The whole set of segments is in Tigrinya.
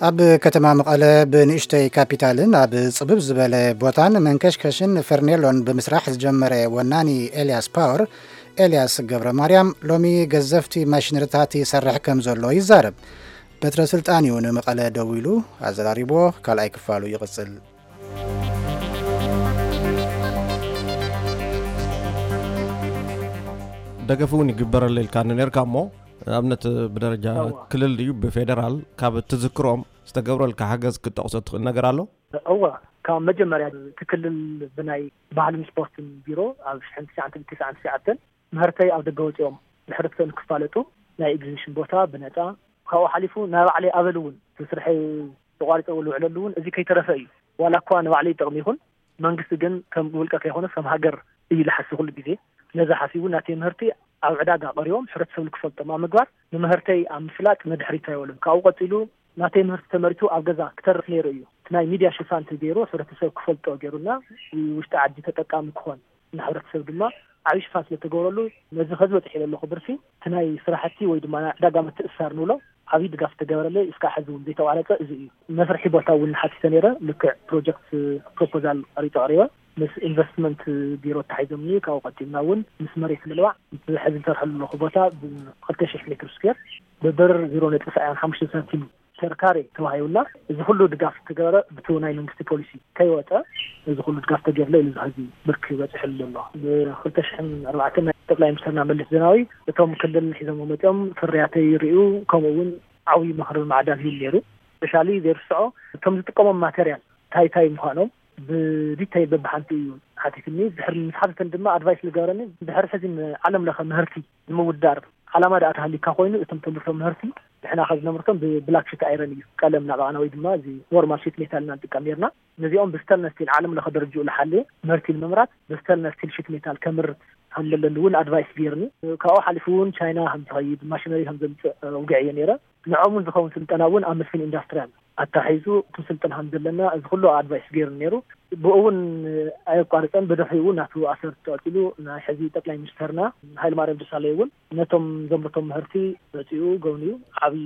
ኣብ ከተማ መቐለ ብንእሽተይ ካፒታልን ኣብ ጽብብ ዝበለ ቦታን መንከሽከሽን ፈርኔሎን ብምስራሕ ዝጀመረ ወናኒ ኤልያስ ፓወር፣ ኤልያስ ገብረ ማርያም፣ ሎሚ ገዘፍቲ ማሽነሪታት ይሰርሕ ከም ዘሎ ይዛረብ። በትረ ስልጣን እዩ ንመቐለ ደዊሉ ኣዘራሪቦ። ካልኣይ ክፋሉ ይቕጽል። ደገፍ እውን ይግበረለ ኢልካ ነርካ እሞ፣ ንኣብነት ብደረጃ ክልል ድዩ ብፌደራል ካብ እትዝክሮም ዝተገብረልካ ሓገዝ ክትጠቕሶ ትኽእል ነገር ኣሎ? እወ፣ ካብ መጀመርያ እቲ ክልል ብናይ ባህልን ስፖርትን ቢሮ ኣብ ሽሕን ትሽዓን ትስዓን ትሽዓን ምህርተይ ኣብ ደገ ወፂኦም ንሕብረተሰብ ንክፋለጡ ናይ ኤግዚቢሽን ቦታ ብነፃ፣ ካብኡ ሓሊፉ ናይ ባዕለይ ኣበል እውን እቲ ስርሐይ ተቋሪፀ ዝውዕለሉ እውን እዚ ከይተረፈ እዩ። ዋላ እኳ ንባዕለይ ይጠቕም ይኹን፣ መንግስቲ ግን ከም ውልቀ ከይኮነስ ከም ሃገር እዩ ዝሓስብ ኩሉ ግዜ። ነዚ ሓሲቡ ናተይ ምህርቲ ኣብ ዕዳጋ ቀሪቦም ሕብረተሰብ ንክፈልጦም ኣብ ምግባር ንምህርተይ ኣብ ምፍላጥ ንድሕሪት ኣይበሉን። ካብኡ ቀፂሉ ናተይ ምህርቲ ተመሪቱ ኣብ ገዛ ክተርፍ ነይሩ እዩ። እቲ ናይ ሚድያ ሽፋን ተገይሩ ሕብረተሰብ ክፈልጦ ገይሩና ውሽጢ ዓዲ ተጠቃሚ ክኾን ንሕብረተሰብ ድማ ዓብዪ ሽፋን ስለተገበረሉ ነዚ ከዚ በፂሐ ዘለኹ ብርሲ እቲ ናይ ስራሕቲ ወይ ድማ ናይ ዕዳጋ ምትእስሳር ንብሎ ዓብዪ ድጋፍ ተገበረለይ። እስካብ ሕዚ እውን ዘይተቋረፀ እዚ እዩ። መስርሒ ቦታ እውን ሓቲተ ነይረ። ልክዕ ፕሮጀክት ፕሮፖዛል ቀሪፀ ቀሪበ ምስ ኢንቨስትመንት ቢሮ ተታሒዞምኒ። ካብኡ ቀፂልና እውን ምስ መሬት ምልባዕ እቲ ሕዚ ዝሰርሐሉ ዘለኹ ቦታ ብክልተ ሽሕ ሜትር ስኩዌር ብብር ዜሮ ነጥቢ ሰብዓን ሓሙሽተ ሳንቲም ሸርካሬ ተዋሂቡና። እዚ ኩሉ ድጋፍ ተገበረ ብቲ ናይ መንግስቲ ፖሊሲ ከይወፀ እዚ ኩሉ ድጋፍ ተገይርለ ኢሉ እዚ ሕዚ ብርክ በፂሕሉ ዘሎ። ብክልተ ሽሕን ኣርባዕተን ናይ ጠቅላይ ሚኒስትርና መለስ ዜናዊ እቶም ክልል ሒዞም መፅኦም ፍርያተይ ይርእዩ፣ ከምኡ እውን ዓብዪ ምኽሪ ማዕዳን ሂቡ ነይሩ። ስፔሻሊ ዘይርስዖ እቶም ዝጥቀሞም ማቴሪያል እንታይ እንታይ ምዃኖም ብዲተይል በብሓንቲ እዩ ሓቲትኒ። ድሕሪ ምስ ሓተተኒ ድማ ኣድቫይስ ዝገበረኒ ድሕሪ ሕዚ ዓለም ለኸ ምህርቲ ንምውዳር ዓላማ ደኣ ተሃሊካ ኮይኑ እቶም ተምርቶም ምህርቲ ንሕና ካብ ዝነምርቶም ብብላክ ሽት ኣይረን እዩ ቀለም ናባና ወይ ድማ እዚ ኖርማል ሽት ሜታል ኢና ንጥቀም ነርና። ነዚኦም ብስተንለስ ስቲል ዓለም ለኸ ደረጅኡ ዝሓለየ ምህርቲ ንምምራት ብስተንለስ ስቲል ሽት ሜታል ከምርት ከም ዘለኒ እውን ኣድቫይስ ገይርኒ። ካብኡ ሓሊፉ እውን ቻይና ከም ዝኸይድ ማሽነሪ ከም ዘምፅእ ውግዕ እየ ነይረ። ንዖም እውን ዝኸውን ስልጠና እውን ኣብ መስፍን ኢንዳስትሪያል ኣታሒዙ እቲ ስልጠና ከም ዘለና እዚ ኩሉ ኣድቫይስ ገይሩ ነይሩ። ብኡ እውን ኣየቋርፀን ብድሕሪኡ እውን ናቱ ኣሰርት ቀፂሉ ናይ ሕዚ ጠቅላይ ሚኒስተርና ሃይለማርያም ደሳለይ እውን ነቶም ዘምርቶም ምህርቲ መፂኡ ጎብንዩ ዓብዪ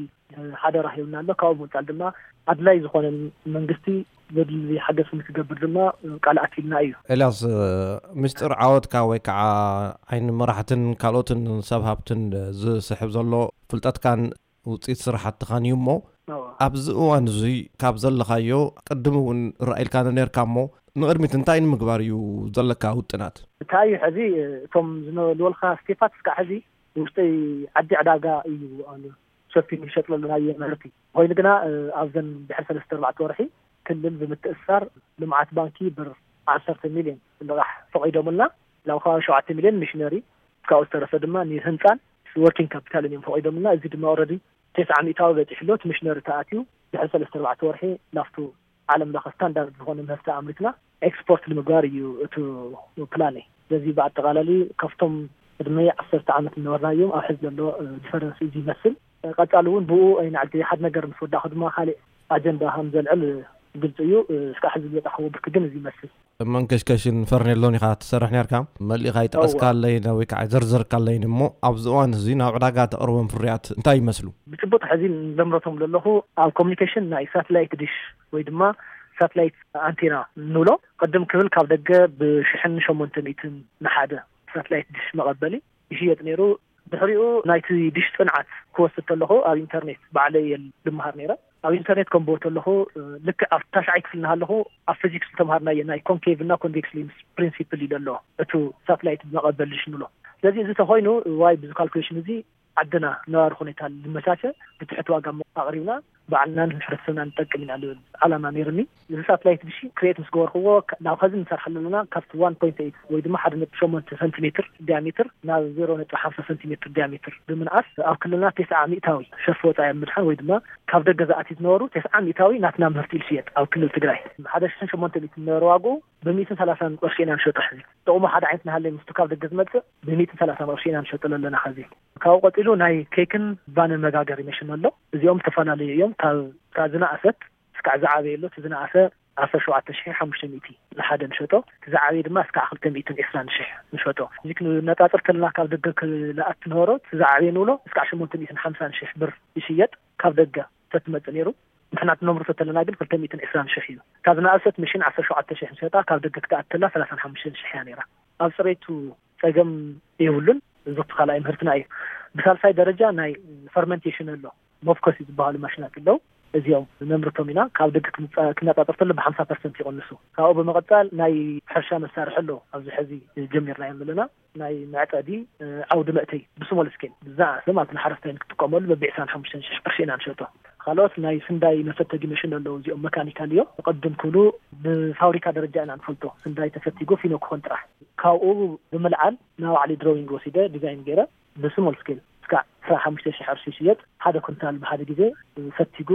ሓደራ ሂቡና ኣሎ። ካብኡ ብምፃል ድማ ኣድላይ ዝኾነ መንግስቲ ዘድሊ ሓገዝ ንክገብር ድማ ቃል ኣትልና እዩ። ኤልያስ፣ ምስጢር ዓወትካ ወይ ከዓ ዓይኒ መራሕትን ካልኦትን ሰብ ሃብትን ዝስሕብ ዘሎ ፍልጠትካን ውፅኢት ስራሕትኻን እዩ እሞ ኣብዚ እዋን እዙይ ካብ ዘለኻዮ ቅድም እውን ርኣይልካ ነርካ እሞ ንቕድሚት እንታይ ንምግባር እዩ ዘለካ ውጥናት? እንታይ እዩ ሕዚ እቶም ዝነበልወልካ ስቴፓት እስካዕ ሕዚ ውሽጢ ዓዲ ዕዳጋ እዩ ኣሉ ሸፊኑ ይሸጥለሉ ናይ ምህርቲ ኮይኑ ግና ኣብዘን ድሕሪ ሰለስተ ኣርባዕተ ወርሒ ክልል ብምትእሳር ልምዓት ባንኪ ብር ዓሰርተ ሚልዮን ልቓሕ ፈቒዶምልና ናብ ከባቢ ሸውዓተ ሚልዮን ሚሽነሪ ካብኡ ዝተረፈ ድማ ንህንፃን ወርኪንግ ካፒታልን እዮም ፈቒዶምልና። እዚ ድማ ኦረዲ ተስዓ ሚእታዊ በፂሑ ኣሎ። እቲ ሚሽነሪ ተኣትዩ ድሕሪ ሰለስተ ኣርባዕተ ወርሒ ናብቱ ዓለም ለኸ ስታንዳርድ ዝኾነ ምህርቲ ኣምሪትና ኤክስፖርት ንምግባር እዩ እቲ ፕላነይ። ስለዚ ብኣጠቓላሊ ካብቶም ቅድሚ ዓሰርተ ዓመት ዝነበርናዮም ኣብ ሕዚ ዘሎ ዲፈረንስ እዚ ይመስል። ቀፃሊ እውን ብኡ ኣይንዓዲ ሓደ ነገር ምስ ወዳእኹ ድማ ካሊእ ኣጀንዳ ከም ዘልዕል ግልፂ እዩ። እስካዕ ሕዚ ዝበፃሕዎ ብርኪ ግን እዚ ይመስል። መንከሽከሽን ፈርኔሎን ኢኻ ትሰርሕ ነርካ። መሊእኻ ይጠቐስካለይን ወይ ከዓ ዘርዘርካለይን እሞ ኣብዚ እዋን እዚ ናብ ዕዳጋ ተቕርቦም ፍርያት እንታይ ይመስሉ? ብጭቡጥ ሕዚ ዘምረቶም ዘለኹ ኣብ ኮሚኒኬሽን ናይ ሳትላይት ዲሽ ወይ ድማ ሳትላይት ኣንቴና ንብሎ ቅድም ክብል ካብ ደገ ብሽሕን ሸሞንተ ሚእትን ንሓደ ሳትላይት ዲሽ መቐበሊ ይሽየጥ ነይሩ። ድሕሪኡ ናይቲ ዲሽ ፅንዓት ክወስድ ከለኹ ኣብ ኢንተርኔት ባዕለይ እየ ልምሃር ነይረ። ኣብ ኢንተርኔት ከንብቦ ከለኹ ልክዕ ኣብ ታሽዓይ ክፍሊ እናሃለኹ ኣብ ፊዚክስ ዝተምሃርናዮ ናይ ኮንኬቭ እና ኮንቬክስ ሌንስ ፕሪንሲፕል እዩ ዘሎ እቱ ሳትላይት መቐበል ዲሽ ንብሎ። ስለዚ እዚ ተኾይኑ ዋይ ብዚ ካልኩሌሽን እዚ ዓድና ነባሪ ኩነታ ልመቻቸ ብትሕቲ ዋጋ ኣቕሪብና ባዕልና ንሕብረተሰብና ንጠቅም ኢና ልብል ዓላማ ነይርኒ። እዚ ሳትላይት ዲሽ ክሬት ምስ ገበርክዎ ናብ ኸዚ ንሰርሓሉ ኣለና ካብቲ ዋን ፖይንት ኤይት ወይ ድማ ሓደ ነጥቢ ሸሞንተ ሰንቲሜትር ዲያሜትር ናብ ዜሮ ነጥቢ ሓምሳ ሰንቲሜትር ዲያሜትር ብምንኣስ ኣብ ክልልና ተስዓ ሚእታዊ ሸርፊ ወፃኢ ኣብ ምድሓን ወይ ድማ ካብ ደገ ዝኣትዩ ዝነበሩ ተስዓ ሚእታዊ ናትና ምህርቲ ይሽየጥ ኣብ ክልል ትግራይ ሓደ ሽሕን ሸሞንተ ሚእትን ዝነበረ ዋግኡ ብሚእትን ሰላሳን ቅርሺ ኢና ንሸጦ። ሕዚ ጥቕሙ ሓደ ዓይነት እናሃለየ ምስቲ ካብ ደገ ዝመፅእ ብሚእትን ሰላሳን ቅርሺ ኢና ንሸጠሉ ኣለና። ኸዚ ካብኡ ቀፂሉ ናይ ኬክን ባንን መጋገሪ መሽን ኣሎ። እዚኦም ዝተፈላለዩ እዮም። ካብ ካብ ዝነኣሰት እስካዕ ዝዓበየ ኣሎ። እቲ ዝነኣሰ ዓሰርተ ሸውዓተ ሽሕ ሓሙሽተ ሚእቲ ንሓደ ንሸጦ፣ እቲ ዝዓበየ ድማ እስካዕ ክልተ ሚእትን ዕስራን ሽሕ ንሸጦ። እዚ ክነፃፅር ከለና ካብ ደገ ክልኣት ዝነበሮ እቲ ዝዓበየ ንብሎ እስካዕ ሸሞንተ ሚእትን ሓምሳን ሽሕ ብር ይሽየጥ። ካብ ደገ ተትመፅእ ነይሩ ንሕና ትነምርቶ ተለና ግን ክልተ ሚእትን ዕስራን ሽሕ እዩ። ካብ ዝነኣሰት መሽን ዓሰርተ ሸውዓተ ሽሕ ንሸጣ፣ ካብ ደገ ክትኣትላ ሰላሳን ሓሙሽተን ሽሕ እያ ነይራ። ኣብ ፅሬቱ ፀገም የብሉን። እዚ ካልኣይ ምህርትና እዩ። ብሳልሳይ ደረጃ ናይ ፈርመንቴሽን ኣሎ። ሞፍኮስ ዝበሃሉ ማሽናት ኣለዉ። እዚኦም ነምርቶም ኢና። ካብ ደገ ክንፃ- ክነፃፀር ተሎ ብሓምሳ ፐርሰንት ይቕንሱ። ካብኡ ብምቕፃል ናይ ሕርሻ መሳርሒ ኣሎ። ኣብዚ ሕዚ ጀሚርናዮም ዘለና ናይ መዕፀዲ ዓውዲ መእተይ ብስሞል ስኬል ብዛዕሰ ማለት ንሓረስታይ ክትጥቀመሉ በቢ ዕስራን ሓሙሽተን ሽሕ ቅርሺ ኢና ንሸጦ። ካልኦት ናይ ስንዳይ መፈተጊ መሽን ኣለዉ። እዚኦም መካኒካል እዮም። ቅድም ክብሉ ብፋብሪካ ደረጃ ኢና ንፈልጦ። ስንዳይ ተፈቲጉ ፊኖ ክኾን ጥራሕ ካብኡ ብምልዓል ናብ ባዕሊ ድሮዊንግ ወሲደ ዲዛይን ገይረ ብስሞል ስኬል እስካዕ ዕስራን ሓሙሽተን ሽሕ ቅርሺ ይሽየጥ። ሓደ ኩንታል ብሓደ ግዜ ፈቲጉ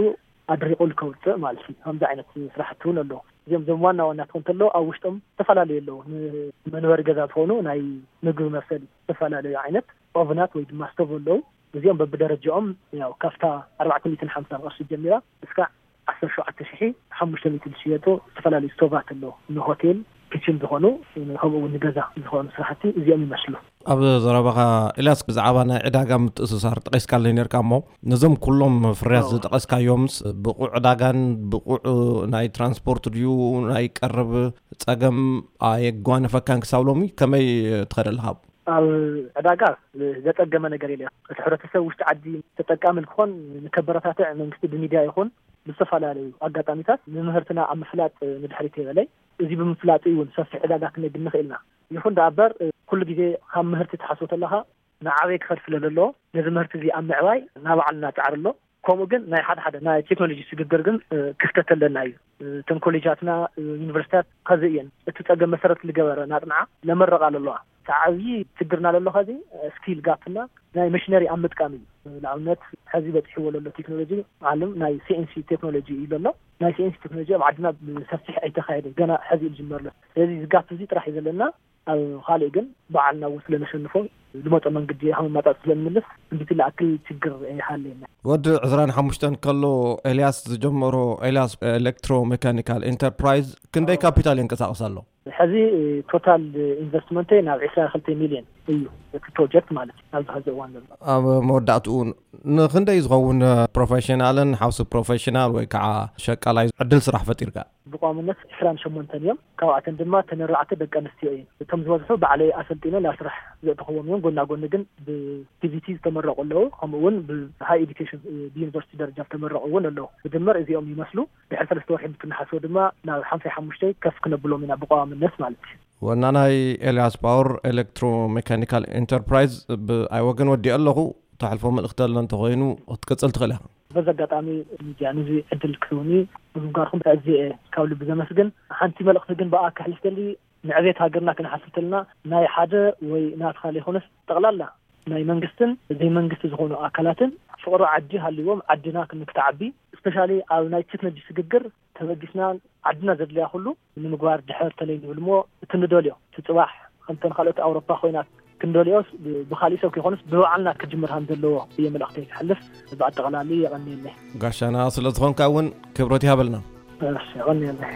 ኣድሪቑ ከውፅእ ማለት እዩ። ከምዚ ዓይነት ስራሕቲ እውን ኣለዉ። እዚኦም ዞም ዋና ዋና ትኾን ተሎ ኣብ ውሽጦም ዝተፈላለዩ ኣለዉ። ንመንበሪ ገዛ ዝኾኑ ናይ ምግቢ መብሰሊ ዝተፈላለዩ ዓይነት ኦቭናት ወይ ድማ ስቶቭ ኣለዉ። እዚኦም በብደረጃኦም ያው ካብታ ኣርባዕተ ሚእትን ሓምሳን ቅርሺ ጀሚራ እስካዕ ዓሰርተ ሸውዓተ ሽሕ ሓሙሽተ ሚእቲ ዝሽየጡ ዝተፈላለዩ ስቶቫት ኣለዉ። ንሆቴል ኪችን ዝኾኑ ከምኡ እውን ንገዛ ዝኾኑ ስራሕቲ እዚኦም ይመስሉ። ኣብ ዘረባኻ ኤልያስ ብዛዕባ ናይ ዕዳጋ ምትእስሳር ጠቒስካለይ ነርካ እሞ ነዞም ኩሎም ፍርያት ዝጠቐስካዮምስ ብቑዕ ዕዳጋን ብቑዕ ናይ ትራንስፖርት ድዩ ናይ ቀረብ ጸገም ኣየጓነፈካን ክሳብ ሎሚ ከመይ ትኸደልኻ? ኣብ ዕዳጋ ዘጸገመ ነገር የለ። እቲ ሕብረተሰብ ውሽጢ ዓዲ ተጠቃሚ ንክኾን ንከበረታትዕ መንግስቲ ብሚድያ ይኹን ብዝተፈላለዩ ኣጋጣሚታት ንምህርትና ኣብ ምፍላጥ ንድሕሪት የበለይ። እዚ ብምፍላጥ እውን ሰፊሕ ዕዳጋ ክነግኒ ክእልና። ይኹን ደኣ እበር ኩሉ ግዜ ካብ ምህርቲ ትሓስቦ ተለኻ ንዓበይ ክኸድ ስለ ዘለዎ ነዚ ምህርቲ እዚ ኣብ ምዕባይ ናብ ባዕልና ጻዕሪ ኣሎ። ከምኡ ግን ናይ ሓደ ሓደ ናይ ቴክኖሎጂ ስግግር ግን ክፍተት ኣለና እዩ። እተን ኮሌጃትና ዩኒቨርሲታት ከዚ እየን እቲ ጸገም መሰረት ዝገበረ ናጽንዓ ለመረቓ ኣለዋ። እቲ ዓብዪ ችግርና ዘሎ ከዚ ስኪል ጋፕና ናይ መሽነሪ ኣብ ምጥቃም እዩ። ንኣብነት ሕዚ በፂሕዎ ዘሎ ቴክኖሎጂ ዓለም ናይ ሲኤንሲ ቴክኖሎጂ እዩ ዘሎ። ናይ ሲኤንሲ ቴክኖሎጂ ኣብ ዓድና ብሰፊሕ ኣይተኻየደ፣ ገና ሕዚ እዩ ዝጅመር ዘሎ። ስለዚ እዚ ጋፕ እዚ ጥራሕ እዩ ዘለና። ኣብ ካልእ ግን ባዕልና እውን ስለነሸንፎ ዝመፀ መንግዲ ከመማፃፅ ስለንምልስ እንዲቲ ለኣክል ችግር ይሃለና። ወዲ ዕስራን ሓሙሽተን ከሎ ኤልያስ ዝጀመሮ ኤልያስ ኤሌክትሮ ሜካኒካል ኢንተርፕራይዝ ክንደይ ካፒታል የንቀሳቕስ ኣሎ? ሕዚ ቶታል ኢንቨስትመንተይ ናብ ዕስራ ክልተ ሚልዮን እዩ፣ እቲ ፕሮጀክት ማለት እዩ ኣብዚ ሕዚ እዋን ዘሎ። ኣብ መወዳእትኡ ንክንደይ ዝኸውን ፕሮፌሽናልን ሓውሲ ፕሮፌሽናል ወይ ከዓ ሸቃላይ ዕድል ስራሕ ፈጢርካ? ብቋምነት ዕስራን ሸሞንተን እዮም። ካብኣተን ድማ ተን ኣርባዕተ ደቂ ኣንስትዮ እየን። እቶም ዝበዝሑ ባዕለይ ኣሰልጢነ ናብ ስራሕ ዘእተኽዎም እዮም። ጎና ጎኒ ግን ብቲቪቲ ዝተመረቑ ኣለዉ። ከምኡ እውን ብሃይ ኤዱኬሽን ብዩኒቨርሲቲ ደረጃ ዝተመረቑ እውን ኣለዉ። ብድምር እዚኦም ይመስሉ። ድሕሪ ሰለስተ ወርሒ እንትንሓስቦ ድማ ናብ ሓምሳይ ሓሙሽተይ ከፍ ክነብሎም ኢና ብቋዋምነት ማለት እዩ። ወናናይ ኤልያስ ፓወር ኤሌክትሮ ሜካኒካል ኢንተርፕራይዝ ብኣይ ወገን ወዲኦ ኣለኹ። ተሕልፎ መልእኽቲ ኣሎ እንተኾይኑ ክትቅጽል ትኽእል ኢኻ። በዚ ኣጋጣሚ ሚድያ ነዚ ዕድል ክትህቡኒ ብምንጋርኩም ኣዝየ ካብ ልቢ ዘመስግን። ሓንቲ መልእኽቲ ግን ብኣ ከሕልፍ ደሊ ንዕቤት ሃገርና ክንሓስብ ተለና ናይ ሓደ ወይ ናትካ ዘይኮነስ ጠቕላላ ናይ መንግስትን ዘይመንግስቲ ዝኾኑ ኣካላትን ፍቕሪ ዓዲ ሃልዎም ዓድና ክንክትዓቢ ስፔሻሊ ኣብ ናይ ቴክኖሎጂ ስግግር ተበጊስና ዓድና ዘድልያ ኩሉ ንምግባር ድሕር ተለይ ንብል እሞ እቲ ንደልዮ እቲ ፅባሕ ከምተን ካልኦት ኣውሮፓ ኮይና ክንደልዮስ ብካሊእ ሰብ ከይኮኑስ ብባዕልና ክጅምር ከም ዘለዎ እየ መልእክተይ ክሕልፍ። ብኣጠቃላሊ የቐንየለይ። ጋሻና ስለ ዝኾንካ እውን ክብረት ይሃበልና። እሺ፣ የቐንየለይ።